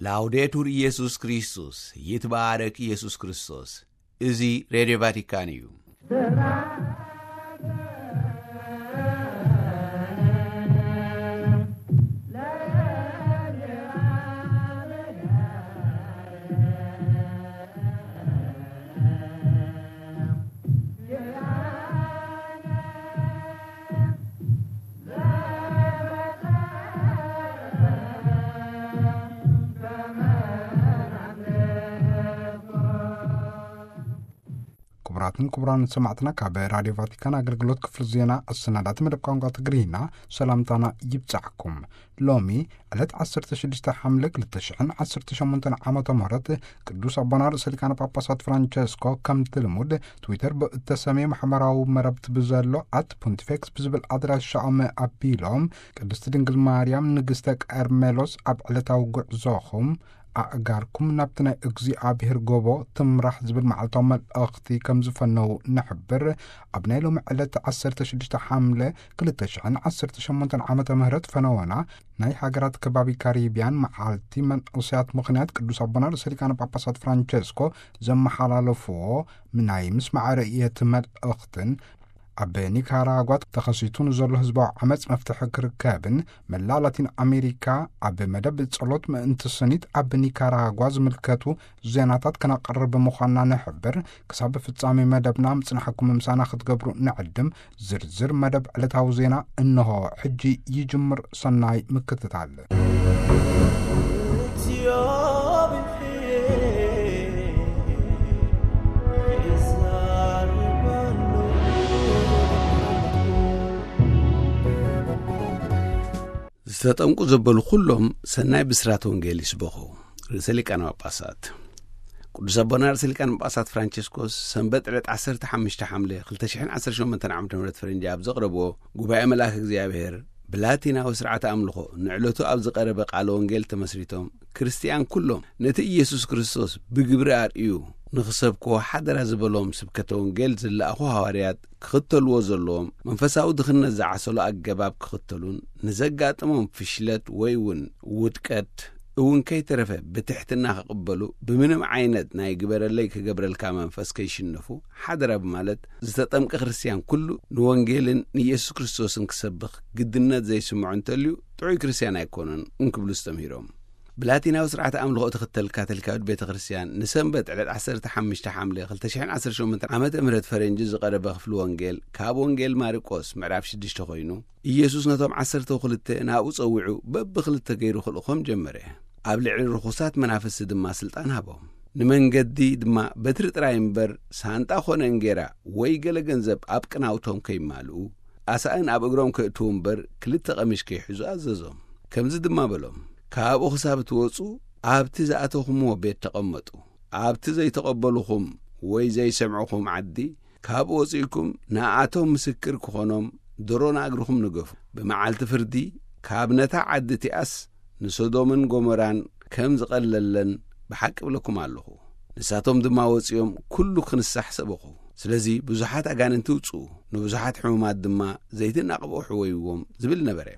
ላውዴቱር ኢየሱስ ክርስቶስ፣ ይትባረክ ኢየሱስ ክርስቶስ። እዚ ሬድዮ ቫቲካን እዩ። ክቡራትን ክቡራን ሰማዕትና፣ ካብ ራድዮ ቫቲካን ኣገልግሎት ክፍሊ ዜና ኣሰናዳቲ መደብ ቋንቋ ትግርኛ ሰላምታና ይብጻሕኩም። ሎሚ ዕለት ዓሰርተ ሽዱሽተ ሓምለ ክልተ ሽሕን ዓሰርተ ሸሞንተን ዓመተ ምህረት ቅዱስ ኣቦና ርእሰ ሊቃነ ጳጳሳት ፍራንቸስኮ ከምቲ ልሙድ ትዊተር ብእተሰምየ ማሕበራዊ መረብቲ ብዘሎ ኣት ፖንቲፌክስ ብዝብል ኣድራሻኦም ኣቢሎም፣ ቅድስቲ ድንግል ማርያም ንግስተ ቀርሜሎስ ኣብ ዕለታዊ ጉዕዞኹም ኣእጋርኩም ናብቲ ናይ እግዚኣብሔር ጎቦ ትምራሕ ዝብል መዓልታዊ መልእኽቲ ከም ዝፈነው ንሕብር። ኣብ ናይ ሎሚ ዕለት ዓሰርተ ሽዱሽተ ሓምለ ክልተ ሽሕን ዓሰርተ ሸሞንተን ዓመተ ምህረት ፈነወና ናይ ሃገራት ከባቢ ካሪብያን መዓልቲ መንእሰያት ምኽንያት ቅዱስ ኣቦና ርእሰ ሊቃነ ጳጳሳት ፍራንቸስኮ ዘመሓላለፍዎ ናይ ምስማዕ ርእየት መልእኽትን ኣብ ኒካራጓ ተኸሲቱ ንዘሎ ህዝባዊ ዓመፅ መፍትሒ ክርከብን መላእ ላቲን ኣሜሪካ ኣብ መደብ ጸሎት ምእንቲ ስኒት ኣብ ኒካራጓ ዝምልከቱ ዜናታት ከነቕርብ ምዃንና ንሕብር። ክሳብ ፍጻሜ መደብና ምጽናሕኩም ምሳና ክትገብሩ ንዕድም። ዝርዝር መደብ ዕለታዊ ዜና እንሆ ሕጂ ይጅምር። ሰናይ ምክትታል። ዝተጠምቁ ዘበሉ ኩሎም ሰናይ ብስራት ወንጌል ይስበኹ። ርእሰ ሊቃነ ጳጳሳት ቅዱስ ኣቦና ርእሰ ሊቃነ ጳጳሳት ፍራንቸስኮስ ሰንበት ዕለት ዓሰርተ ሓሙሽተ ሓምለ ክልተ ሽሕን ዓሰርተ ሸሞንተን ዓመተ ምህረት ፈረንጂ ኣብ ዘቕረብዎ ጉባኤ መልኣክ እግዚኣብሔር ብላቲናዊ ስርዓተ ኣምልኾ ንዕለቱ ኣብ ዝቐረበ ቃለ ወንጌል ተመስሪቶም፣ ክርስትያን ኩሎም ነቲ ኢየሱስ ክርስቶስ ብግብሪ ኣርእዩ ንኽሰብክዎ ሓደራ ዝበሎም ስብከተ ወንጌል ዝለኣኹ ሃዋርያት ክኽተልዎ ዘለዎም መንፈሳዊ ድኽነት ዝዓሰሎ ኣገባብ ክኽተሉን ንዘጋጥሞም ፍሽለት ወይ እውን ውድቀት እውን ከይተረፈ ብትሕትና ክቕበሉ፣ ብምንም ዓይነት ናይ ግበረለይ ክገብረልካ መንፈስ ከይሽነፉ ሓደራ ብማለት፣ ዝተጠምቀ ክርስትያን ኩሉ ንወንጌልን ንኢየሱስ ክርስቶስን ክሰብኽ ግድነት ዘይስምዖ እንተልዩ ጥዑይ ክርስትያን ኣይኮነን እንክብሉ ኣስተምሂሮም። ብላቲናዊ ስርዓተ ኣምልኾ እትኽተል ካቶሊካዊት ቤተ ክርስትያን ንሰንበት ዕለት ዓሰርተ ሓሙሽተ ሓምለ ክልተ ሽሕን ዓሰርተ ሸሞንተን ዓመተ ምህረት ፈረንጂ ዝቐረበ ክፍሊ ወንጌል ካብ ወንጌል ማርቆስ ምዕራፍ ሽዱሽተ ኮይኑ፣ ኢየሱስ ነቶም ዓሰርተ ክልተ ናብኡ ጸዊዑ በብኽልተ ገይሩ ክልእኾም ጀመረ። ኣብ ልዕሊ ርኹሳት መናፍስቲ ድማ ስልጣን ሃቦም። ንመንገዲ ድማ በትሪ ጥራይ እምበር ሳንጣ ኾነ እንጌራ ወይ ገለ ገንዘብ ኣብ ቅናውቶም ከይማልኡ፣ ኣሳእን ኣብ እግሮም ከእትዉ እምበር ክልተ ቀሚሽ ከይሕዙ ኣዘዞም። ከምዚ ድማ በሎም፣ ካብኡ ክሳብ እትወጹ ኣብቲ ዝኣተኹምዎ ቤት ተቐመጡ። ኣብቲ ዘይተቐበሉኹም ወይ ዘይሰምዑኹም ዓዲ፣ ካብኡ ወጺእኩም ንኣቶም ምስክር ክኾኖም ድሮ ንእግርኹም ንገፉ። ብመዓልቲ ፍርዲ ካብ ነታ ዓዲ እቲኣስ ንሶዶምን ጎሞራን ከም ዝቐለለን ብሓቂ እብለኩም ኣለኹ። ንሳቶም ድማ ወጺኦም ኩሉ ክንሳሕ ሰበኹ። ስለዚ ብዙሓት ኣጋንንቲ ውጽኡ፣ ንብዙሓት ሕሙማት ድማ ዘይትናቕቦ ሕወይዎም ዝብል ነበረ።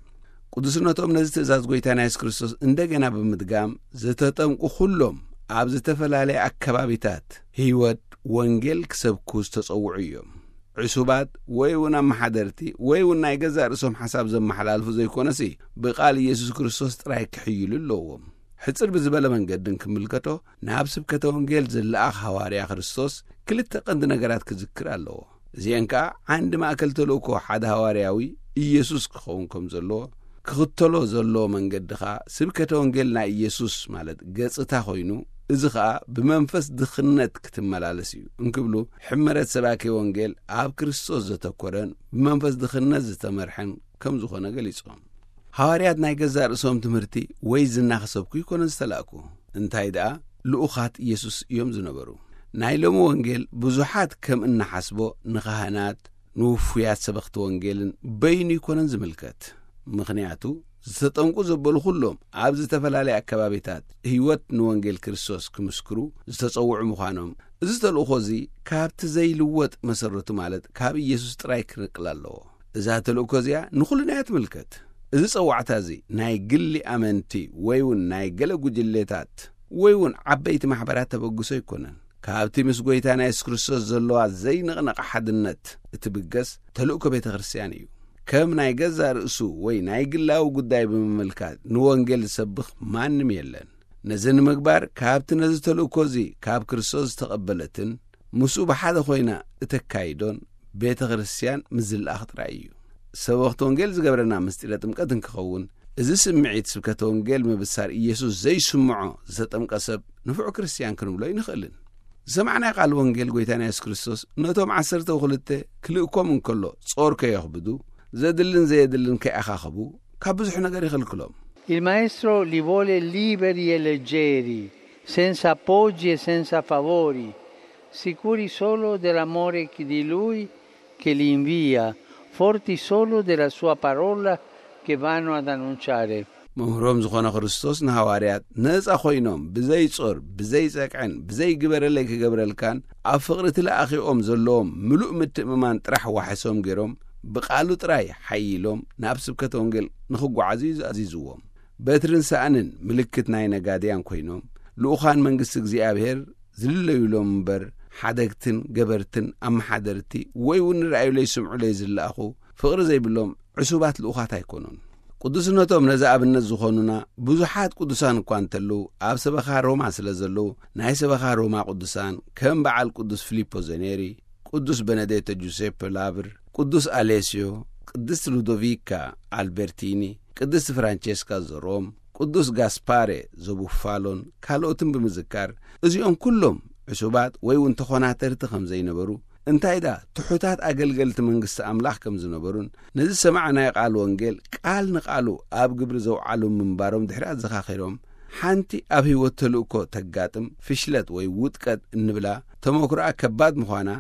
ቅዱስነቶም ነዚ ትእዛዝ ጐይታና የሱስ ክርስቶስ እንደገና ብምድጋም፣ ዝተጠምቁ ኩሎም ኣብ ዝተፈላለየ ኣከባቢታት ህይወት ወንጌል ክሰብኩ ዝተጸውዑ እዮም። ዕሱባት ወይ እውን ኣመሓደርቲ ወይ እውን ናይ ገዛእ ርእሶም ሓሳብ ዘመሓላልፉ ዘይኮነሲ፣ ብቓል ኢየሱስ ክርስቶስ ጥራይ ክሕይሉ ኣለዎም። ሕጽር ብዝበለ መንገዲ እንክምልከቶ፣ ናብ ስብከተ ወንጌል ዝለኣኽ ሃዋርያ ክርስቶስ ክልተ ቀንዲ ነገራት ክዝክር ኣለዎ። እዚአን ከኣ ዓንዲ ማእከል ተልእኮ ሓደ ሃዋርያዊ ኢየሱስ ክኸውን ከም ዘለዎ፣ ክኽተሎ ዘለዎ መንገዲ ኸኣ ስብከተ ወንጌል ናይ ኢየሱስ ማለት ገጽታ ኮይኑ፣ እዚ ኸኣ ብመንፈስ ድኽነት ክትመላለስ እዩ እንክብሉ፣ ሕመረት ሰባኬ ወንጌል ኣብ ክርስቶስ ዘተኮረን ብመንፈስ ድኽነት ዝተመርሐን ከም ዝኾነ ገሊጾም። ሃዋርያት ናይ ገዛእ ርእሶም ትምህርቲ ወይ ዝና ክሰብኩ ኣይኮነን ዝተላእኩ። እንታይ ደኣ፣ ልኡኻት ኢየሱስ እዮም ዝነበሩ። ናይ ሎሚ ወንጌል ብዙሓት ከም እንሓስቦ ንኻህናት፣ ንውፉያት ሰበኽቲ ወንጌልን በይኑ ኣይኮነን ዝምልከት። ምኽንያቱ፣ ዝተጠምቁ ዘበሉ ኩሎም ኣብ ዝተፈላለየ ኣከባቢታት ህይወት ንወንጌል ክርስቶስ ክምስክሩ ዝተጸውዑ ምዃኖም፣ እዚ ተልእኾ እዚ ካብቲ ዘይልወጥ መሰረቱ ማለት ካብ ኢየሱስ ጥራይ ክንቅል ኣለዎ። እዛ ተልእኮ እዚኣ ንኹልና እያ ትምልከት። እዚ ጸዋዕታ እዚ ናይ ግሊ ኣመንቲ ወይ እውን ናይ ገለ ጉጅሌታት ወይ እውን ዓበይቲ ማሕበራት ተበግሶ ኣይኮነን። ካብቲ ምስ ጐይታና የሱስ ክርስቶስ ዘለዋ ዘይንቕነቕ ሓድነት እትብገስ ተልእኮ ቤተ ክርስቲያን እዩ። ከም ናይ ገዛእ ርእሱ ወይ ናይ ግላዊ ጉዳይ ብምምልካት ንወንጌል ዝሰብኽ ማንም የለን። ነዚ ንምግባር ካብቲ ነዚ ተልእኮ እዚ ካብ ክርስቶስ ዝተቐበለትን ምስኡ ብሓደ ኮይና እተካይዶን ቤተ ክርስቲያን ምስ ዝለኣኽ ጥራይ እዩ። ሰበኽቲ ወንጌል ዝገብረና ምስጢረ ጥምቀት እንክኸውን፣ እዚ ስምዒት ስብከተ ወንጌል ምብሳር ኢየሱስ ዘይስምዖ ዝተጠምቀ ሰብ ንፉዕ ክርስቲያን ክንብሎ ኣይንኽእልን። ዝሰማዕናዮ ቃል ወንጌል ጐይታና የሱስ ክርስቶስ ነቶም ዓሰርተ ወክልተ ክልእኮም እንከሎ ጾር ከየኽብዱ፣ ዘድልን ዘየድልን ከይኣኻኽቡ ካብ ብዙሕ ነገር ይኽልክሎም። Il maestro li vuole liberi e leggeri, senza appoggi e senza favori, sicuri solo dell'amore di lui che li invia, forti solo della sua parola che vanno ad annunciare. መምህሮም ዝኾነ ክርስቶስ ንሃዋርያት ነጻ ኮይኖም ብዘይ ጾር ብዘይ ጸቅዕን ብዘይ ግበረለይ ክገብረልካን ኣብ ፍቕሪ እቲ ለኣኺኦም ዘለዎም ምሉእ ምትእምማን ጥራሕ ዋሕሶም ገይሮም ብቓሉ ጥራይ ሓይሎም ናብ ስብከተ ወንጌል ንኽጓዓዙ እዩ ኣዚዝዎም። በትርን ሳእንን ምልክት ናይ ነጋድያን ኮይኖም ልኡኻን መንግስቲ እግዚኣብሔር ዝልለዩሎም እምበር ሓደግትን ገበርትን ኣመሓደርቲ ወይ እውን ንረኣዩለይ ስምዑለይ ዝለኣኹ ፍቕሪ ዘይብሎም ዕሱባት ልኡኻት ኣይኮኑን። ቅዱስነቶም ነዚ ኣብነት ዝኾኑና ብዙሓት ቅዱሳን እኳ እንተለዉ ኣብ ሰበኻ ሮማ ስለ ዘለዉ ናይ ሰበኻ ሮማ ቅዱሳን ከም በዓል ቅዱስ ፊሊፖ ዘኔሪ፣ ቅዱስ በነዴቶ ጁሴፐ ላብር፣ ቅዱስ ኣሌስዮ፣ ቅድስት ሉዶቪካ ኣልበርቲኒ፣ ቅድስት ፍራንቼስካ ዘሮም፣ ቅዱስ ጋስፓሬ ዘቡፋሎን ካልኦትን ብምዝካር እዚኦም ኩሎም ዕሱባት ወይ እውን ተኾናተርቲ ከም ዘይነበሩ እንታይ ደኣ ትሑታት ኣገልገልቲ መንግስቲ ኣምላኽ ከም ዝነበሩን ነዚ ዝሰማዕናዮ ቃል ወንጌል ቃል ንቃሉ ኣብ ግብሪ ዘውዓሉ ምንባሮም ድሕሪ ኣዘኻኺሮም ሓንቲ ኣብ ህይወት ተልእኮ ተጋጥም ፍሽለት ወይ ውጥቀት እንብላ ተመክሮኣ ከባድ ምዃና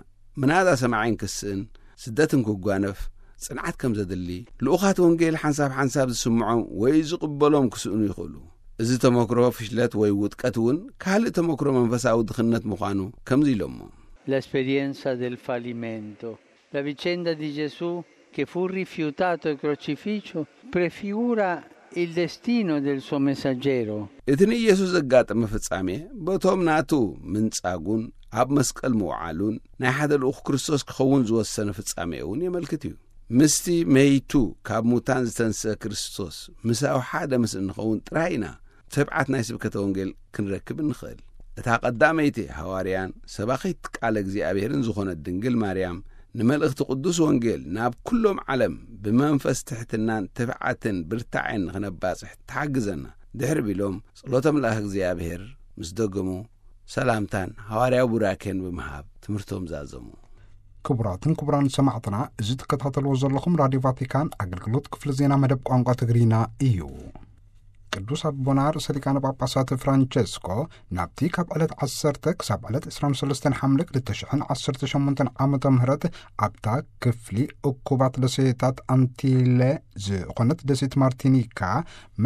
ምናዳ ሰማዒን ክስእን ስደትን ክጓነፍ ጽንዓት ከም ዘድሊ ልኡኻት ወንጌል ሓንሳብ ሓንሳብ ዝስምዖም ወይ ዝቕበሎም ክስእኑ ይኽእሉ። እዚ ተመክሮ ፍሽለት ወይ ውጥቀት እውን ካልእ ተመክሮ መንፈሳዊ ድኽነት ምዃኑ ከምዚ ኢሎሞ። L'esperienza del fallimento. La vicenda di Gesù che fu rifiutato e crocifisso prefigura il destino del suo messaggero. እቲ ንኢየሱስ ዘጋጠመ ፍጻሜ በቶም ናቱ ምንጻጉን ኣብ መስቀል ምውዓሉን ናይ ሓደ ልኡኽ ክርስቶስ ክኸውን ዝወሰነ ፍጻሜ እውን የመልክት እዩ። ምስቲ መይቱ ካብ ሙታን ዝተንስአ ክርስቶስ ምሳዊ ሓደ ምስ እንኸውን ጥራይ ኢና ትብዓት ናይ ስብከተ ወንጌል ክንረክብ እንኽእል። እታ ቀዳመይቲ ሃዋርያን ሰባኺት ቃለ እግዚኣብሔርን ዝኾነት ድንግል ማርያም ንመልእኽቲ ቅዱስ ወንጌል ናብ ኩሎም ዓለም ብመንፈስ ትሕትናን ትብዓትን ብርታዕን ንኽነባጽሕ ትሓግዘና ድሕሪ ቢሎም ጸሎተ መልኣኽ እግዚኣብሔር ምስ ደገሙ ሰላምታን ሃዋርያዊ ቡራኬን ብምሃብ ትምህርቶም ዛዘሙ። ክቡራትን ክቡራን ሰማዕትና፣ እዚ ትከታተልዎ ዘለኹም ራድዮ ቫቲካን ኣገልግሎት ክፍሊ ዜና መደብ ቋንቋ ትግርኛ እዩ። ቅዱስ ኣቦና ርእሰ ሊቃነ ጳጳሳት ፍራንቸስኮ ናብቲ ካብ ዕለት ዓሰርተ ክሳብ ዕለት ዕስራን ሰለስተን ሓምለ ክልተ ሽሕን ዓሰርተ ሸሞንተን ዓመተ ምህረት ኣብታ ክፍሊ እኩባት ደሴታት ኣንቲለ ዝኾነት ደሴት ማርቲኒካ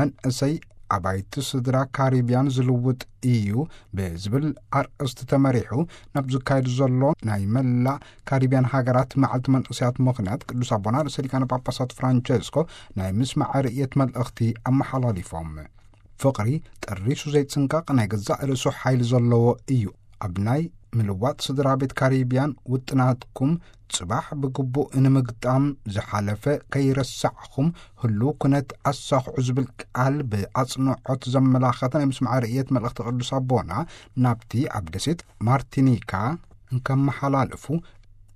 መንእሰይ ኣባይቲ ስድራ ካሪብያን ዝልውጥ እዩ ብዝብል ኣርእስቲ ተመሪሑ ናብ ዝካየድ ዘሎ ናይ መላእ ካሪብያን ሃገራት መዓልቲ መንእሰያት ምኽንያት ቅዱስ ኣቦና ርእሰ ሊቃነ ጳጳሳት ፍራንቸስኮ ናይ ምስማዕ ርእየት መልእኽቲ ኣመሓላሊፎም። ፍቕሪ ጠሪሱ ዘይጽንቀቕ ናይ ገዛእ ርእሱ ሓይሊ ዘለዎ እዩ። ኣብ ናይ ምልዋጥ ስድራ ቤት ካሪብያን ውጥናትኩም ጽባሕ ብግቡእ ንምግጣም ዝሓለፈ ከይረሳዕኹም ህሉው ኩነት ኣሳኽዑ ዝብል ቃል ብኣጽንዖት ዘመላኸተ ናይ ምስማዕ ርእየት መልእኽቲ ቅዱስ ኣቦና ናብቲ ኣብ ደሴት ማርቲኒካ እንከመሓላልፉ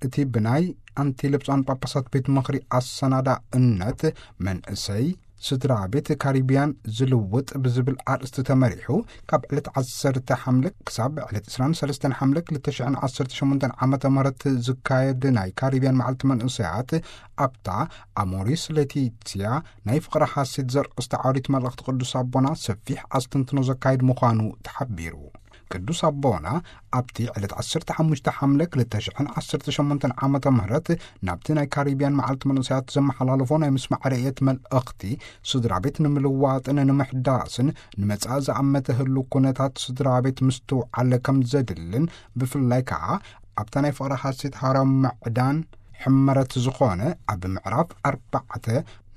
እቲ ብናይ ኣንቲለ ብፁዓን ጳጳሳት ቤት ምኽሪ ኣሰናዳእነት መንእሰይ ስድራ ቤት ካሪብያን ዝልውጥ ብዝብል ኣርእስቲ ተመሪሑ ካብ ዕለት ዓሰርተ ሓምለ ክሳብ ዕለት ዕስራን ሰለስተን ሓምለ ክልተ ሽሕን ዓሰርተ ሸሞንተን ዓመተ ምህረት ዝካየድ ናይ ካሪብያን መዓልቲ መንእሰያት ኣብታ ኣሞሪስ ሌቲትያ ናይ ፍቕሪ ሓሴት ዘርእስቲ ዓውዲት መልእኽቲ ቅዱስ ኣቦና ሰፊሕ ኣስተንትኖ ዘካይድ ምዃኑ ተሓቢሩ። ቅዱስ ኣቦና ኣብቲ ዕለት ዓሰርተ ሓሙሽተ ሓምለ ክልተ ሽሕን ዓሰርተ ሸሞንተን ዓመተ ምህረት ናብቲ ናይ ካሪብያን መዓልቲ መንእሰያት ዘመሓላለፎ ናይ ምስማዕ ርእየት መልእኽቲ ስድራ ቤት ንምልዋጥን ንምሕዳስን ንመጻኢ ዝኣመተ ህሉ ኩነታት ስድራ ቤት ምስትውዓል ከም ዘድልን ብፍላይ ከዓ ኣብታ ናይ ፍቕሪ ሓሴት ሃዋርያዊ ምዕዳን ሕመረት ዝኾነ ኣብ ምዕራፍ ኣርባዕተ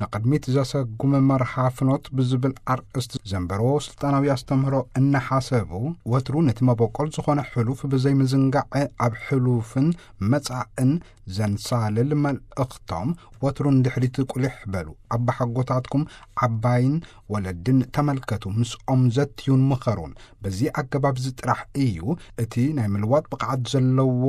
ንቕድሚት ዘሰጉም መርሃ ፍኖት ብዝብል ኣርእስቲ ዘንበርዎ ስልጣናዊ ኣስተምህሮ እናሓሰቡ፣ ወትሩ ነቲ መበቆል ዝኾነ ሕሉፍ ብዘይምዝንጋዕ፣ ኣብ ሕሉፍን መጻእን ዘንሳልል መልእኽቶም፣ ወትሩ ንድሕሪት ቁሊሕ በሉ። ኣባሓጎታትኩም ዓባይን ወለድን ተመልከቱ፣ ምስኦም ዘትዩን ምኸሩን። በዚ ኣገባብ እዚ ጥራሕ እዩ እቲ ናይ ምልዋጥ ብቕዓት ዘለዎ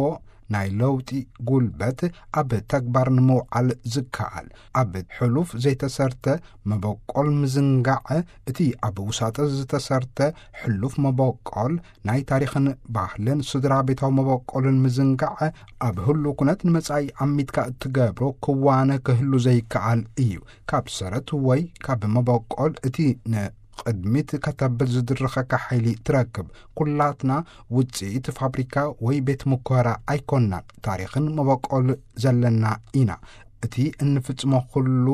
ናይ ለውጢ ጉልበት ኣብ ተግባር ንምውዓል ዝከኣል። ኣብ ሕሉፍ ዘይተሰርተ መበቆል ምዝንጋዕ፣ እቲ ኣብ ውሳጠ ዝተሰርተ ሕሉፍ መበቆል ናይ ታሪኽን ባህልን ስድራ ቤታዊ መበቆልን ምዝንጋዕ፣ ኣብ ህሉ ኩነት ንመጻኢ ኣሚትካ እትገብሮ ክዋነ ክህሉ ዘይከኣል እዩ። ካብ ሰረት ወይ ካብ መበቆል እቲ ንቕድሚት ከተብል ዝድርኸካ ሓይሊ ትረክብ። ኩላትና ውጽኢት ፋብሪካ ወይ ቤት ምኮራ ኣይኮንናን። ታሪኽን መበቆል ዘለና ኢና። እቲ እንፍጽሞ ኩሉ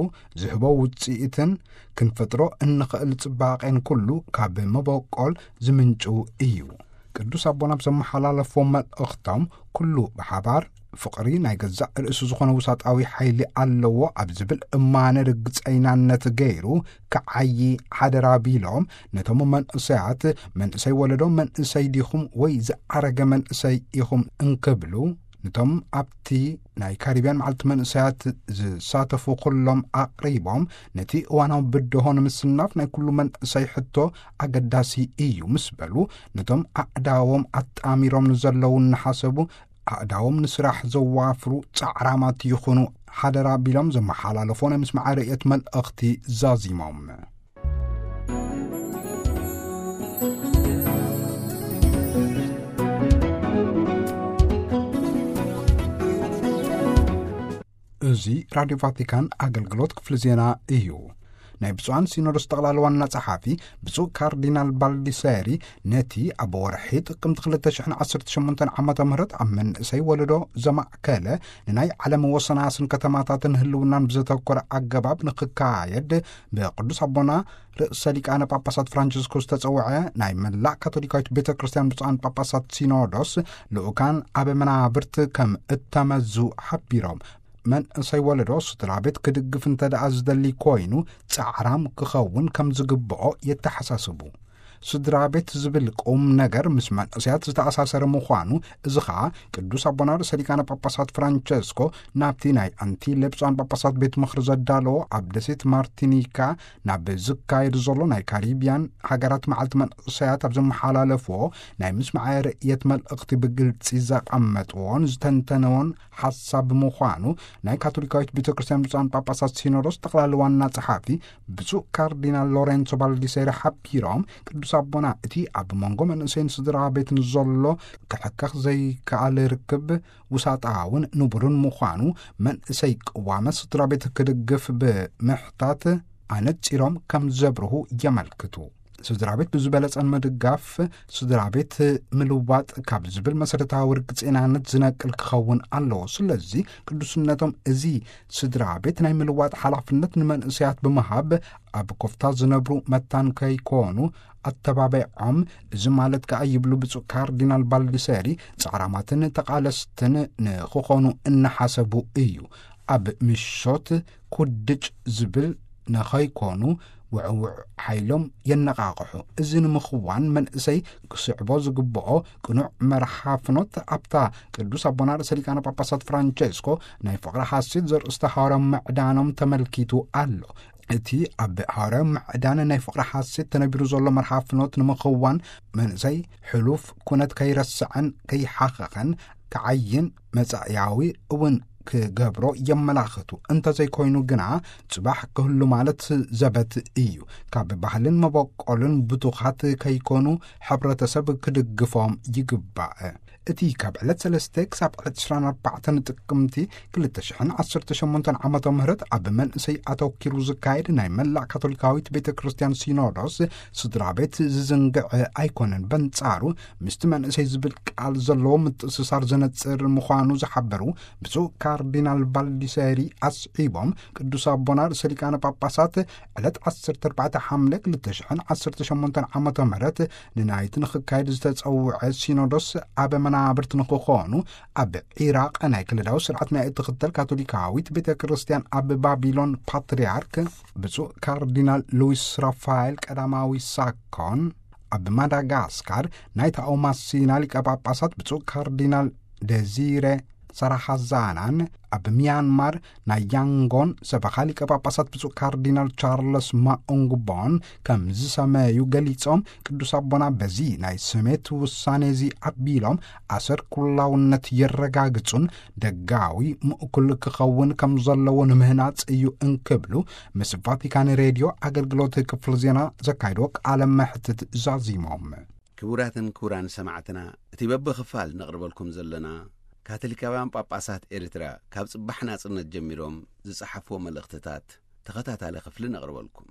ዝህቦ ውጽኢትን ክንፈጥሮ እንኽእል ጽባቄን ኩሉ ካብ መበቆል ዝምንጩ እዩ። ቅዱስ ኣቦና ብዘመሓላለፍዎ መልእኽቶም፣ ኩሉ ብሓባር ፍቕሪ ናይ ገዛእ ርእሱ ዝኾነ ውሳጣዊ ሓይሊ ኣለዎ ኣብ ዝብል እማነ ርግጸይናነት ገይሩ ክዓዪ ሓደራ ቢሎም፣ ነቶም መንእሰያት፣ መንእሰይ ወለዶ መንእሰይ ዲኹም ወይ ዝዓረገ መንእሰይ ኢኹም እንክብሉ፣ ነቶም ኣብቲ ናይ ካሪብያን መዓልቲ መንእሰያት ዝሳተፉ ኩሎም ኣቕሪቦም፣ ነቲ እዋናዊ ብድሆ ንምስናፍ ናይ ኩሉ መንእሰይ ሕቶ ኣገዳሲ እዩ ምስ በሉ፣ ነቶም ኣእዳዎም ኣጣሚሮም ንዘለዉ እናሓሰቡ፣ ኣእዳዎም ንስራሕ ዘዋፍሩ ጻዕራማት ይኹኑ ሓደራ ቢሎም ዘመሓላለፎ ናይ ምስማዕ ርእየት መልእኽቲ ዛዚሞም። እዚ ራድዮ ቫቲካን ኣገልግሎት ክፍሊ ዜና እዩ። ናይ ብፁዓን ሲኖዶስ ጠቕላሊ ዋና ጸሓፊ ብፁዕ ካርዲናል ባልዲሰሪ፣ ነቲ ኣብ ወርሒ ጥቅምቲ ክልተ ሽሕን ዓሰርተ ሸሞንተን ዓመተ ምህረት ኣብ መንእሰይ ወለዶ ዘማእከለ ንናይ ዓለም ወሰናስን ከተማታትን ህልውናን ብዘተኮረ ኣገባብ ንክካየድ ብቅዱስ ኣቦና ርእሰ ሊቃነ ጳጳሳት ፍራንቸስኮ ዝተጸውዐ ናይ መላእ ካቶሊካዊት ቤተ ክርስቲያን ብፁዓን ጳጳሳት ሲኖዶስ ልኡካን ኣብ መናብርት ከም እተመዙ ሓቢሮም፣ መንእሰይ ወለዶ ስድራ ቤት ክድግፍ እንተ ደኣ ዝደሊ ኮይኑ፣ ጻዕራም ክኸውን ከም ዝግብኦ የተሓሳስቡ። ስድራ ቤት ዝብል ቁም ነገር ምስ መንእሰያት ዝተኣሳሰረ ምዃኑ፣ እዚ ኸኣ ቅዱስ ኣቦና ርእሰ ሊቃነ ጳጳሳት ፍራንቸስኮ ናብቲ ናይ ኣንቲለ ብፁዓን ጳጳሳት ቤት ምኽሪ ዘዳለዎ ኣብ ደሴት ማርቲኒካ ናብ ዝካየድ ዘሎ ናይ ካሪቢያን ሃገራት መዓልቲ መንእሰያት ኣብ ዘመሓላለፍዎ ናይ ምስማዐ ርእየት መልእኽቲ ብግልጺ ዘቐመጥዎን ዝተንተንዎን ሓሳብ ምዃኑ ናይ ካቶሊካዊት ቤተ ክርስቲያን ብፁዓን ጳጳሳት ሲኖዶስ ጠቕላሊ ዋና ጸሓፊ ብፁዕ ካርዲናል ሎሬንሶ ባልዲሴሪ ሓቢሮም፣ ቅዱስ ኣቦና እቲ ኣብ መንጎ መንእሰይን ስድራ ቤትን ዘሎ ክሕከኽ ዘይከኣል ርክብ ውሳጣውን ንቡርን ምዃኑ መንእሰይ ቅዋመ ስድራ ቤት ክድግፍ ብምሕታት ኣነጺሮም ከም ዘብርሁ የመልክቱ። ስድራ ቤት ብዝበለጸን ምድጋፍ ስድራ ቤት ምልዋጥ ካብ ዝብል መሰረታዊ ርግጽናነት ዝነቅል ክኸውን ኣለዎ። ስለዚ ቅዱስነቶም እዚ ስድራ ቤት ናይ ምልዋጥ ሓላፍነት ንመንእሰያት ብምሃብ ኣብ ኮፍታ ዝነብሩ መታን ከይኮኑ ኣተባቢዖም፣ እዚ ማለት ከኣ ይብሉ ብፁዕ ካርዲናል ባልዲሰሪ፣ ጻዕራማትን ተቓለስትን ንኽኾኑ እናሓሰቡ እዩ። ኣብ ምሾት ኩድጭ ዝብል ንኸይኮኑ ውዕውዕ ሓይሎም የነቓቕሑ። እዚ ንምኽዋን መንእሰይ ክስዕቦ ዝግብኦ ቅኑዕ መርሓ ፍኖት ኣብታ ቅዱስ ኣቦና ርእሰ ሊቃነ ጳጳሳት ፍራንቸስኮ ናይ ፍቕሪ ሓሴት ዘርእስታ ሃዋርያዊ ምዕዳኖም ተመልኪቱ ኣሎ። እቲ ኣብ ሃዋርያዊ ምዕዳን ናይ ፍቕሪ ሓሴት ተነቢሩ ዘሎ መርሓ ፍኖት ንምኽዋን መንእሰይ ሕሉፍ ኩነት ከይረስዐን ከይሓኸኸን ክዓይን መጻእያዊ እውን ክገብሮ የመላኽቱ። እንተዘይኮይኑ ግና ጽባሕ ክህሉ ማለት ዘበት እዩ። ካብ ባህልን መበቆልን ብቱኻት ከይኮኑ ሕብረተሰብ ክድግፎም ይግባእ። እቲ ካብ ዕለት ሰለስተ ክሳብ ዕለት ዕስራን ኣርባዕተን ጥቅምቲ ክልተ ሽሕን ዓሰርተ ሸሞንተን ዓመተ ምህረት ኣብ መንእሰይ ኣተኪሩ ዝካየድ ናይ መላእ ካቶሊካዊት ቤተ ክርስቲያን ሲኖዶስ ስድራ ቤት ዝዝንግዕ ኣይኮነን። በንጻሩ ምስቲ መንእሰይ ዝብል ቃል ዘለዎ ምትእስሳር ዘነጽር ምዃኑ ዝሓበሩ ብፁዕ ካርዲናል ባልዲሰሪ ኣስዒቦም፣ ቅዱስ ኣቦና ርእሰ ሊቃነ ጳጳሳት ዕለት ዓሰርተ ኣርባዕተ ሓምለ ክልተ ሽሕን ዓሰርተ ሸሞንተን ዓመተ ምህረት ንናይቲ ንኽካየድ ዝተጸውዐ ሲኖዶስ ኣበ መናብርት ንክኾኑ፣ ኣብ ዒራቕ ናይ ክልላዊ ስርዓት ናይ እትኽተል ካቶሊካዊት ቤተ ክርስቲያን ኣብ ባቢሎን ፓትርያርክ ብፁዕ ካርዲናል ሉዊስ ራፋኤል ቀዳማዊ ሳኮን፣ ኣብ ማዳጋስካር ናይ ታኦማሲና ሊቀ ጳጳሳት ብፁዕ ካርዲናል ደዚረ ሰራሓዛናን፣ ኣብ ሚያንማር ናይ ያንጎን ሰበኻ ሊቀ ጳጳሳት ብፁዕ ካርዲናል ቻርለስ ማኡንግቦን ከም ዝሰመዩ ገሊጾም፣ ቅዱስ ኣቦና በዚ ናይ ስሜት ውሳኔ እዚ ኣቢሎም ኣሰር ኩላውነት የረጋግጹን ደጋዊ ምእኩል ክኸውን ከም ዘለዎ ንምህናጽ እዩ እንክብሉ ምስ ቫቲካን ሬድዮ ኣገልግሎት ክፍሊ ዜና ዘካይዶ ቃለ መሕትት ዛዚሞም። ክቡራትን ክቡራን ሰማዕትና፣ እቲ በብኽፋል ነቕርበልኩም ዘለና ካቶሊካውያን ጳጳሳት ኤርትራ ካብ ጽባሕ ናጽነት ጀሚሮም ዝጸሓፍዎ መልእኽትታት ተኸታታሊ ክፍሊ ነቕርበልኩም።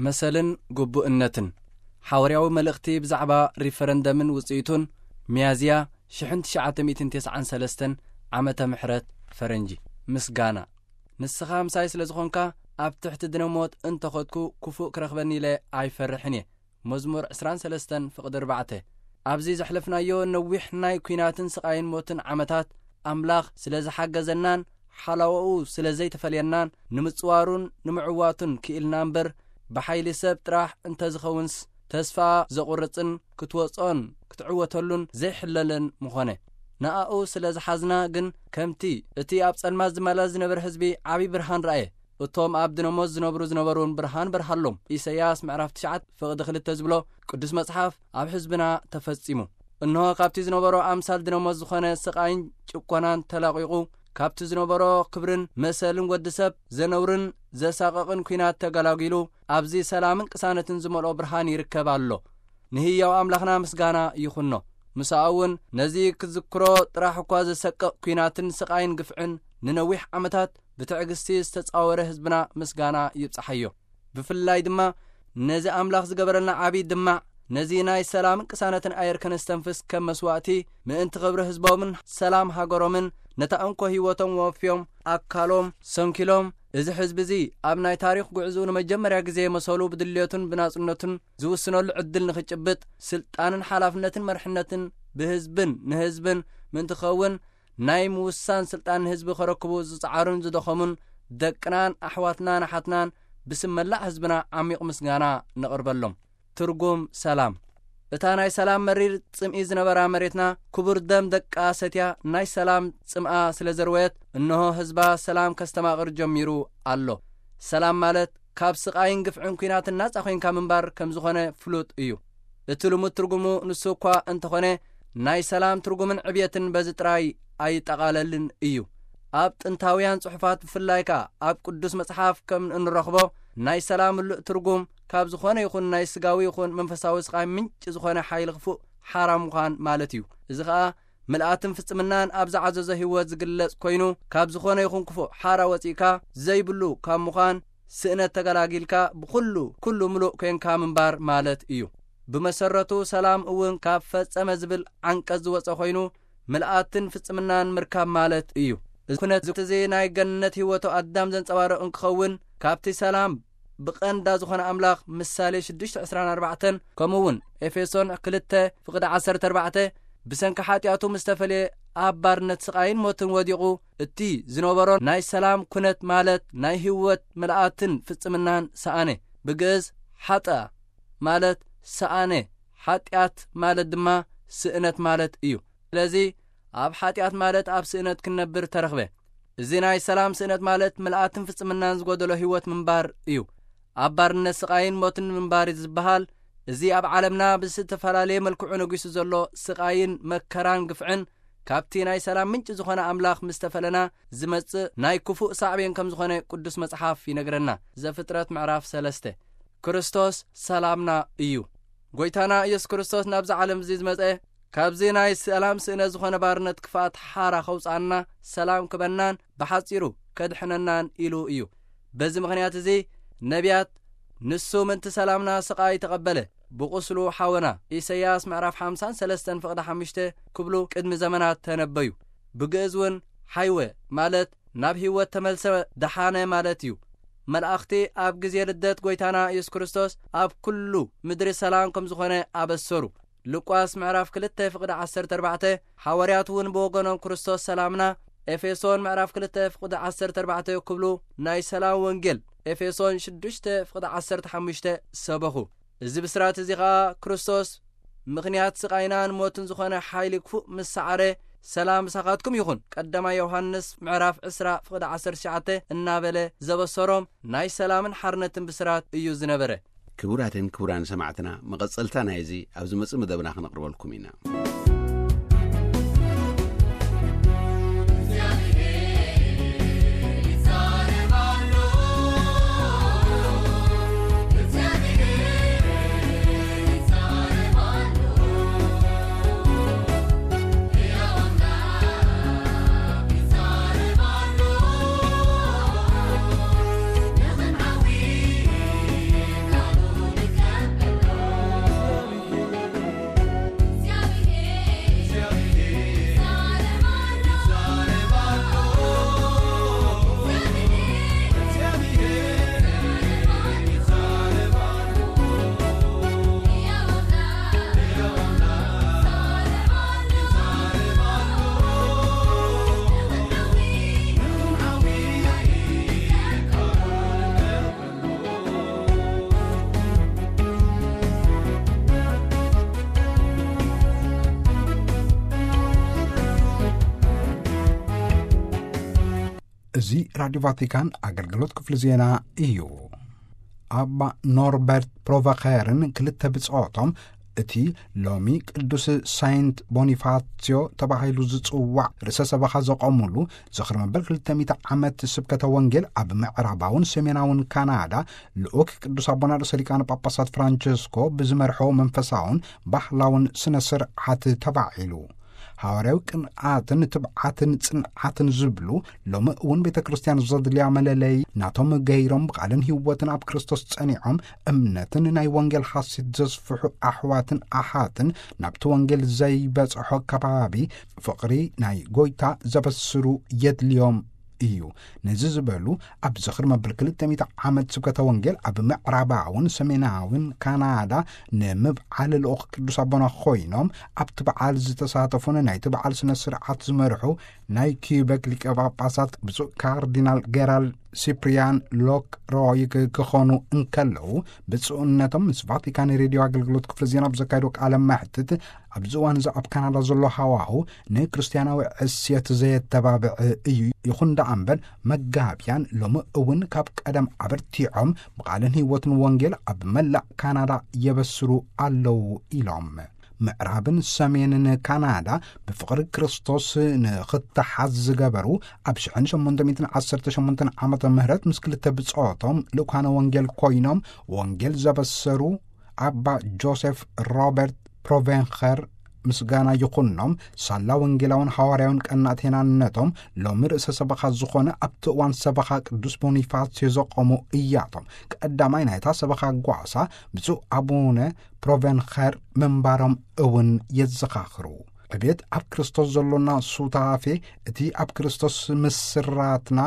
መሰልን ግቡእነትን፣ ሓዋርያዊ መልእኽቲ ብዛዕባ ሪፈረንደምን ውጽኢቱን፣ ሚያዝያ ሽሕን ትሽዓተ ሚእትን ተስዓን ሰለስተን ዓመተ ምሕረት ፈረንጂ። ምስጋና። ንስኻ ምሳይ ስለ ዝኾንካ፣ ኣብ ትሕቲ ድነ ሞት እንተኸድኩ፣ ክፉእ ክረኽበኒ ኢለ ኣይፈርሕን እየ። መዝሙር ዕስራን ሰለስተን ፍቕዲ ኣርባዕተ። ኣብዚ ዘሕለፍናዮ ነዊሕ ናይ ኲናትን ስቓይን ሞትን ዓመታት፣ ኣምላኽ ስለ ዝሓገዘናን ሓላዎኡ ስለ ዘይተፈልየናን፣ ንምጽዋሩን ንምዕዋቱን ክኢልና እምበር፣ ብሓይሊ ሰብ ጥራሕ እንተዝኸውንስ፣ ተስፋ ዘቑርጽን ክትወጾን ክትዕወተሉን ዘይሕለልን ምኾነ። ንኣኡ ስለ ዝሓዝና ግን፣ ከምቲ እቲ ኣብ ጸልማት ዝመላለስ ዝነበረ ህዝቢ ዓቢ ብርሃን ረኣየ። እቶም ኣብ ድነሞት ዝነብሩ ዝነበሩን ብርሃን በርሃሎም። ኢሳይያስ ምዕራፍ ትሽዓተ ፍቕዲ ክልተ ዝብሎ ቅዱስ መጽሓፍ ኣብ ህዝብና ተፈጺሙ። እንሆ፣ ካብቲ ዝነበሮ ኣምሳል ድነሞት ዝኾነ ስቓይን ጭቆናን ተላቒቑ፣ ካብቲ ዝነበሮ ክብርን መሰልን ወዲ ሰብ ዘነውርን ዘሳቕቕን ኲናት ተገላጊሉ፣ ኣብዚ ሰላምን ቅሳነትን ዝመልኦ ብርሃን ይርከብ ኣሎ። ንህያው ኣምላኽና ምስጋና ይኹኖ። ምሳኡ እውን ነዚ ክትዝክሮ ጥራሕ እኳ ዘሰቅቕ ኲናትን ስቓይን ግፍዕን ንነዊሕ ዓመታት ብትዕግስቲ ዝተጻወረ ህዝብና ምስጋና ይብጽሓዮ። ብፍላይ ድማ ነዚ ኣምላኽ ዝገበረልና ዓቢ ድማዕ፣ ነዚ ናይ ሰላምን ቅሳነትን ኣየር ከነስተንፍስ ከም መስዋእቲ ምእንቲ ክብሪ ህዝቦምን ሰላም ሃገሮምን ነታ እንኮ ህይወቶም ወፍዮም ኣካሎም ሰንኪሎም፣ እዚ ህዝቢ እዚ ኣብ ናይ ታሪኽ ጉዕዝኡ ንመጀመርያ ግዜ መሰሉ ብድልየቱን ብናጽነቱን ዝውስነሉ ዕድል ንኽጭብጥ፣ ስልጣንን ሓላፍነትን መርሕነትን ብህዝብን ንህዝብን ምእንቲ ክኸውን ናይ ምውሳን ስልጣን ንህዝቢ ከረክቡ ዝጸዓሩን ዝደኸሙን ደቅናን ኣሕዋትናን ኣሓትናን ብስም መላእ ህዝብና ዓሚቕ ምስጋና ነቕርበሎም። ትርጉም ሰላም። እታ ናይ ሰላም መሪር ጽምኢ ዝነበራ መሬትና ክቡር ደም ደቃ ሰትያ ናይ ሰላም ጽምኣ ስለ ዘርወየት፣ እንሆ ህዝባ ሰላም ከስተማቕር ጀሚሩ ኣሎ። ሰላም ማለት ካብ ስቓይን ግፍዕን ኲናትን ናጻ ኾይንካ ምንባር ከም ዝኾነ ፍሉጥ እዩ። እቲ ልሙድ ትርጉሙ ንሱ እኳ እንተኾነ፣ ናይ ሰላም ትርጉምን ዕብየትን በዚ ጥራይ ኣይጠቓለልን እዩ። ኣብ ጥንታውያን ጽሑፋት ብፍላይ ከኣ ኣብ ቅዱስ መጽሓፍ ከም እንረኽቦ፣ ናይ ሰላም ምሉእ ትርጉም ካብ ዝኾነ ይኹን ናይ ስጋዊ ይኹን መንፈሳዊ ስቓይ ምንጪ ዝኾነ ሓይሊ ክፉእ ሓራ ምዃን ማለት እዩ። እዚ ኸኣ ምልኣትን ፍጽምናን ኣብ ዝዓዘዞ ህይወት ዝግለጽ ኮይኑ፣ ካብ ዝኾነ ይኹን ክፉእ ሓራ ወጺእካ ዘይብሉ ካብ ምዃን፣ ስእነት ተገላጊልካ ብኹሉ ኩሉ ምሉእ ኮንካ ምንባር ማለት እዩ። ብመሰረቱ ሰላም እውን ካብ ፈጸመ ዝብል ዓንቀጽ ዝወጸ ኮይኑ፣ ምልኣትን ፍጽምናን ምርካብ ማለት እዩ። እዚ ኩነት እዚ ናይ ገነት ህይወቱ ኣዳም ዘንጸባርቕ እንክኸውን፣ ካብቲ ሰላም ብቐንዳ ዝኾነ ኣምላኽ ምሳሌ ሽዱሽተ ዕስራን ኣርባዕተን፣ ከምኡ እውን ኤፌሶን ክልተ ፍቕዲ ዓሰርተ ኣርባዕተ፣ ብሰንኪ ሓጢኣቱ ምስ ተፈልየ ኣብ ባርነት ስቓይን ሞትን ወዲቑ፣ እቲ ዝነበሮ ናይ ሰላም ኩነት ማለት ናይ ህይወት ምልኣትን ፍጽምናን ሰኣነ። ብግእዝ ሓጠኣ ማለት ሰኣነ፣ ሓጢኣት ማለት ድማ ስእነት ማለት እዩ። ስለዚ ኣብ ሓጢኣት ማለት ኣብ ስእነት ክንነብር ተረኽበ። እዚ ናይ ሰላም ስእነት ማለት ምልኣትን ፍጽምናን ዝጎደሎ ህይወት ምንባር እዩ። ኣብ ባርነት ስቓይን ሞትን ምንባር ዝበሃል፣ እዚ ኣብ ዓለምና ብዝተፈላለየ መልክዑ ነጊሱ ዘሎ ስቓይን መከራን ግፍዕን፣ ካብቲ ናይ ሰላም ምንጪ ዝኾነ ኣምላኽ ምስ ተፈለና ዝመጽእ ናይ ክፉእ ሳዕቤን ከም ዝኾነ ቅዱስ መጽሓፍ ይነግረና። ዘፍጥረት ምዕራፍ ሰለስተ። ክርስቶስ ሰላምና እዩ። ጎይታና ኢየሱስ ክርስቶስ ናብዚ ዓለም እዚ ዝመጸ፣ ካብዚ ናይ ሰላም ስእነት ዝኾነ ባርነት ክፍኣት ሓራ ከውጽኣና፣ ሰላም ክበናን ብሓጺሩ ከድሕነናን ኢሉ እዩ። በዚ ምኽንያት እዚ ነቢያት፣ "ንሱ ምእንቲ ሰላምና ስቓይ ተቐበለ፣ ብቑስሉ ሓወና" ኢሳይያስ ምዕራፍ ሓምሳን ሰለስተን ፍቕዲ ሓሙሽተ ክብሉ ቅድሚ ዘመናት ተነበዩ። ብግእዝ እውን ሓይወ ማለት ናብ ህይወት ተመልሰ፣ ደሓነ ማለት እዩ። መላእኽቲ ኣብ ግዜ ልደት ጎይታና ኢየሱስ ክርስቶስ ኣብ ኩሉ ምድሪ ሰላም ከም ዝኾነ ኣበሰሩ። ሉቃስ ምዕራፍ ክልተ ፍቕዲ ዓሰርተ ኣርባዕተ፣ ሓዋርያት እውን ብወገኖም ክርስቶስ ሰላምና፣ ኤፌሶን ምዕራፍ ክልተ ፍቕዲ ዓሰርተ ኣርባዕተ፣ ክብሉ ናይ ሰላም ወንጌል፣ ኤፌሶን ሽዱሽተ ፍቕዲ ዓሰርተ ሓሙሽተ፣ ሰበኹ። እዚ ብስራት እዚ ኸኣ ክርስቶስ ምኽንያት ስቓይናን ሞትን ዝኾነ ሓይሊ ክፉእ ምስ ሰዓረ፣ ሰላም ምሳኻትኩም ይኹን። ቀዳማይ ዮሃንስ ምዕራፍ ዕስራ ፍቕዲ ዓሰርተ ትሽዓተ እናበለ ዘበሰሮም ናይ ሰላምን ሓርነትን ብስራት እዩ ዝነበረ። ክቡራትን ክቡራን ሰማዕትና፣ መቐጸልታ ናይዚ ኣብ ዝመጽእ መደብና ክነቕርበልኩም ኢና። እዚ ራድዮ ቫቲካን ኣገልግሎት ክፍሊ ዜና እዩ። ኣባ ኖርበርት ፕሮቨኸርን ክልተ ብጾቶም እቲ ሎሚ ቅዱስ ሳይንት ቦኒፋሲዮ ተባሂሉ ዝጽዋዕ ርእሰ ሰበኻ ዘቐሙሉ ዝኽሪ መበል ክልተ ሚእቲ ዓመት ስብከተ ወንጌል ኣብ ምዕራባውን ሰሜናውን ካናዳ ልኡክ ቅዱስ ኣቦና ርእሰ ሊቃነ ጳጳሳት ፍራንቸስኮ ብዝመርሖ መንፈሳውን ባህላውን ስነ ስርዓት ተባዒሉ። ሃዋርያዊ ቅንኣትን ትብዓትን ጽንዓትን ዝብሉ ሎሚ እውን ቤተ ክርስቲያን ዘድልያ መለለይ ናቶም ገይሮም ብቓልን ህይወትን ኣብ ክርስቶስ ጸኒዖም እምነትን ናይ ወንጌል ሓሴት ዘስፍሑ ኣሕዋትን ኣሓትን ናብቲ ወንጌል ዘይበጽሖ ከባቢ ፍቕሪ ናይ ጎይታ ዘበስሩ የድልዮም እዩ። ነዚ ዝበሉ ኣብ ዝኽሪ መበል ክልተ ሚእቲ ዓመት ስብከተ ወንጌል ኣብ ምዕራባውን ሰሜናውን ካናዳ ንምብዓል ልኡኽ ቅዱስ ኣቦና ኮይኖም ኣብቲ በዓል ዝተሳተፉን ናይቲ በዓል ስነ ስርዓት ዝመርሑ ናይ ኪዩበክ ሊቀ ጳጳሳት ብፁዕ ካርዲናል ጌራልድ ሲፕሪያን ሎክ ሮይክ ክኾኑ እንከለዉ፣ ብፁዕነቶም ምስ ቫቲካን ሬድዮ ኣገልግሎት ክፍሊ ዜና ብዘካየዶ ቃለ መሕትት ኣብዚ እዋን እዚ ኣብ ካናዳ ዘሎ ሃዋሁ ንክርስቲያናዊ ዕስየት ዘየተባብዕ እዩ። ይኹን ደኣ እምበር መጋቢያን ሎሚ እውን ካብ ቀደም ኣበርቲዖም ብቓልን ህይወትን ወንጌል ኣብ መላእ ካናዳ የበስሩ ኣለዉ ኢሎም። ምዕራብን ሰሜንን ካናዳ ብፍቕሪ ክርስቶስ ንኽተሓዝ ዝገበሩ ኣብ ሽሕን ሸሞንተ ሚእትን ዓሰርተ ሸሞንተን ዓመተ ምህረት ምስ ክልተ ብጾቶም ልኡካነ ወንጌል ኮይኖም ወንጌል ዘበሰሩ ኣባ ጆሴፍ ሮበርት ፕሮቬንኸር ምስጋና ይኹኖም፣ ሳላ ወንጌላውን ሃዋርያውን ቀናት ሄናነቶም ሎሚ ርእሰ ሰበኻ ዝኾነ ኣብቲ እዋን ሰበኻ ቅዱስ ቦኒፋስዮ ዘቆሙ እያቶም። ቀዳማይ ናይታ ሰበኻ ጓሳ ብፁዕ ኣቡነ ፕሮቬንኸር ምንባሮም እውን የዘኻኽሩ። ዕቤት ኣብ ክርስቶስ ዘሎና ሱታፌ እቲ ኣብ ክርስቶስ ምስራትና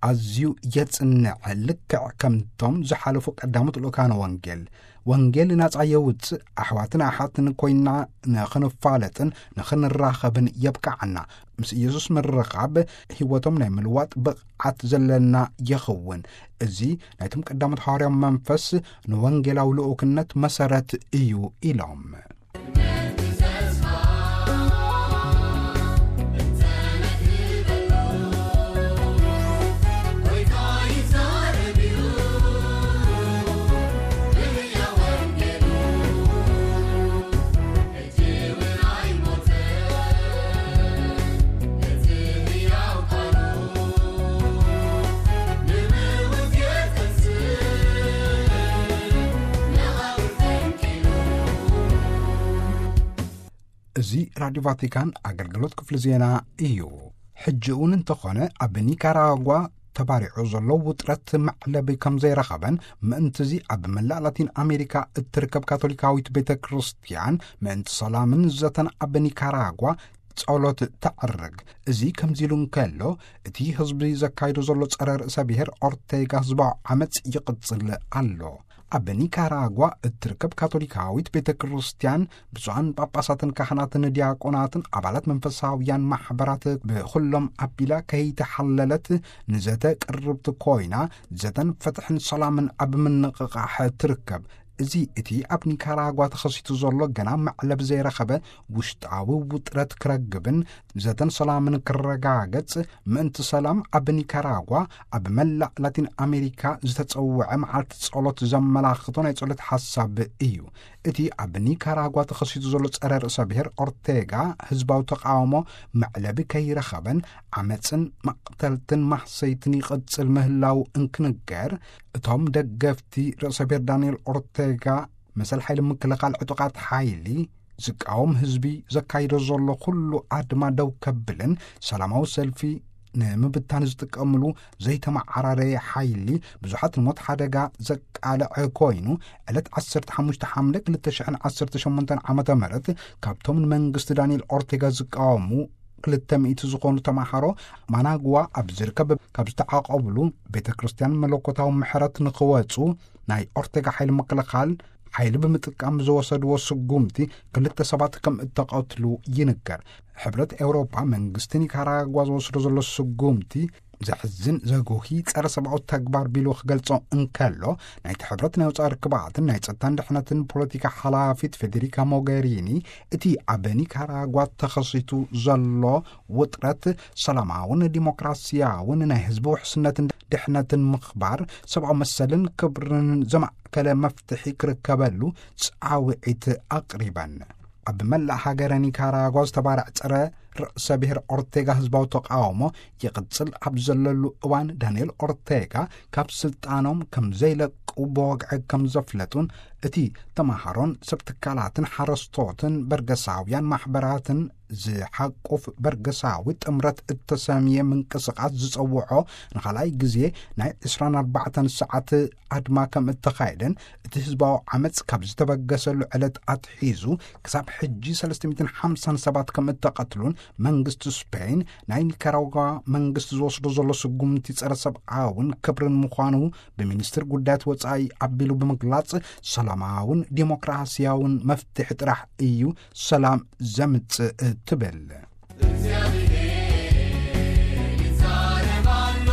ኣዝዩ የጽንዕ፣ ልክዕ ከምቶም ዝሓለፉ ቀዳሞት ልኡካነ ወንጌል። ወንጌል ናጻ የውጽእ፣ ኣሕዋትን ኣሓትን ኮይና ንኽንፋለጥን ንኽንራኸብን የብቅዓና። ምስ ኢየሱስ ምርኻብ ህይወቶም ናይ ምልዋጥ ብቕዓት ዘለና ይኸውን። እዚ ናይቶም ቀዳሞት ሃዋርያዊ መንፈስ ንወንጌላዊ ልኡክነት መሰረት እዩ ኢሎም። እዚ ራድዮ ቫቲካን ኣገልግሎት ክፍሊ ዜና እዩ። ሕጂ እውን እንተኾነ ኣብ ኒካራጓ ተባሪዑ ዘሎ ውጥረት መዕለቢ ከም ዘይረኸበን፣ ምእንትዚ ኣብ መላእ ላቲን ኣሜሪካ እትርከብ ካቶሊካዊት ቤተ ክርስቲያን ምእንቲ ሰላምን ዘተን ኣብ ኒካራጓ ጸሎት ተዕርግ። እዚ ከምዚ ኢሉ እንከሎ፣ እቲ ህዝቢ ዘካይዶ ዘሎ ጸረ ርእሰ ብሔር ኦርቴጋ ህዝባዊ ዓመጽ ይቕጽል ኣሎ። ኣብ ኒካራጓ እትርከብ ካቶሊካዊት ቤተ ክርስቲያን፣ ብፁዓን ጳጳሳትን ካህናትን ዲያቆናትን ኣባላት መንፈሳውያን ማሕበራት ብኹሎም ኣቢላ ከይተሓለለት ንዘተ ቅርብቲ ኮይና፣ ዘተን ፍትሕን ሰላምን ኣብ ምንቕቓሕ ትርከብ። እዚ እቲ ኣብ ኒካራጓ ተኸሲቱ ዘሎ ገና መዕለብ ዘይረኸበ ውሽጣዊ ውጥረት ክረግብን ዘተን ሰላምን ክረጋገጽ ምእንቲ ሰላም ኣብ ኒካራጓ ኣብ መላእ ላቲን ኣሜሪካ ዝተጸውዐ መዓልቲ ጸሎት ዘመላኽቶ ናይ ጸሎት ሓሳብ እዩ። እቲ ኣብ ኒካራጓ ተኸሲቱ ዘሎ ጸረ ርእሰ ብሔር ኦርቴጋ ህዝባዊ ተቃውሞ መዕለቢ ከይረኸበን ዓመጽን መቕተልትን ማህሰይትን ይቕጽል ምህላው እንክንገር፣ እቶም ደገፍቲ ርእሰ ብሔር ዳንኤል ኦርቴጋ መሰል ሓይሊ ምክልኻል ዕጡቓት ሓይሊ ዝቃወም ህዝቢ ዘካይዶ ዘሎ ኩሉ ኣድማ ደው ከብልን ሰላማዊ ሰልፊ ንምብታን ዝጥቀምሉ ዘይተመዓራረየ ሓይሊ ብዙሓት ንሞት ሓደጋ ዘቃልዐ ኮይኑ፣ ዕለት ዓሰርተ ሓሙሽተ ሓምለ ክልተ ሽሕን ዓሰርተ ሸሞንተን ዓመተ ምህረት ካብቶም ንመንግስቲ ዳንኤል ኦርቴጋ ዝቃወሙ ክልተ ሚእቲ ዝኾኑ ተማሃሮ ማናጉዋ ኣብ ዝርከብ ካብ ዝተዓቆብሉ ቤተ ክርስቲያን መለኮታዊ ምሕረት ንኽወጹ ናይ ኦርቴጋ ሓይሊ ምክልኻል ሓይሊ ብምጥቃም ዝወሰድዎ ስጉምቲ ክልተ ሰባት ከም እተቐትሉ ይንገር። ሕብረት ኤውሮጳ መንግስቲ ኒካራጓ ዝወስዶ ዘሎ ስጉምቲ ዘሕዝን ዘጉሂ ጸረ ሰብኣዊ ተግባር ቢሉ ክገልጾ እንከሎ፣ ናይቲ ሕብረት ናይ ወጻኢ ርክባትን ናይ ጸጥታን ድሕነትን ፖለቲካ ሓላፊት ፌዴሪካ ሞገሪኒ፣ እቲ ኣብ ኒካራጓ ተኸሲቱ ዘሎ ውጥረት ሰላማውን ዲሞክራሲያውን ናይ ህዝቢ ውሕስነትን ድሕነትን ምኽባር ሰብኣዊ መሰልን ክብርን ዘማእከለ መፍትሒ ክርከበሉ ጻውዒት ኣቕሪበን። ኣብ መላእ ሃገረ ኒካራጓ ዝተባርዕ ጸረ ርእሰ ብሔር ኦርቴጋ ህዝባዊ ተቃውሞ ይቕጽል ኣብ ዘለሉ እዋን፣ ዳንኤል ኦርቴጋ ካብ ስልጣኖም ከም ዘይለቁ ብወግዒ ከም ዘፍለጡን፣ እቲ ተማሃሮን ሰብ ትካላትን ሓረስቶትን በርገሳውያን ማሕበራትን ዝሓቁፍ በርገሳዊ ጥምረት እተሰምየ ምንቅስቓስ ዝጸውዖ ንኻልኣይ ግዜ ናይ ዕስራን ኣርባዕተን ሰዓት ኣድማ ከም እተኻየደን፣ እቲ ህዝባዊ ዓመጽ ካብ ዝተበገሰሉ ዕለት ኣትሒዙ ክሳብ ሕጂ ሰለስተ ሚእትን ሓምሳን ሰባት ከም እተቐትሉን፣ መንግስቲ ስፔን ናይ ኒካራጓ መንግስቲ ዝወስዶ ዘሎ ስጉምቲ ጸረ ሰብኣውን ክብርን ምዃኑ ብሚኒስትር ጉዳያት ወጻኢ ኣቢሉ ብምግላጽ፣ ሰላማውን ዲሞክራሲያውን መፍትሒ ጥራሕ እዩ ሰላም ዘምጽእ ትብል። እግዚኣብሔር ይዛረብ ኣሎ፣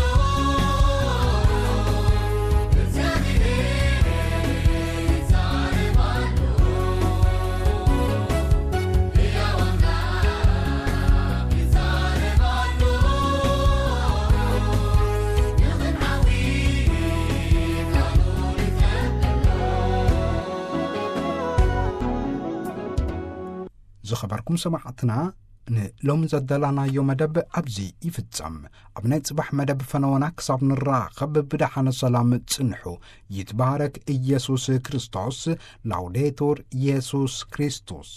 እግዚኣብሔር ይዛረብ ኣሎ፣ ሕያው ኣምላኽ ይዛረብ ኣሎ፣ ንኽንዓዊ ቃሉ ይጸበሎ። ዝኸበርኩም ሰማዕትና፣ ንሎሚ ዘዳላናዮ መደብ ኣብዚ ይፍጸም። ኣብ ናይ ጽባሕ መደብ ፈነወና ክሳብ ንራኸብ ብደሓነ ሰላም ጽንሑ። ይትባረክ ኢየሱስ ክርስቶስ። ላውዴቱር ኢየሱስ ክርስቶስ።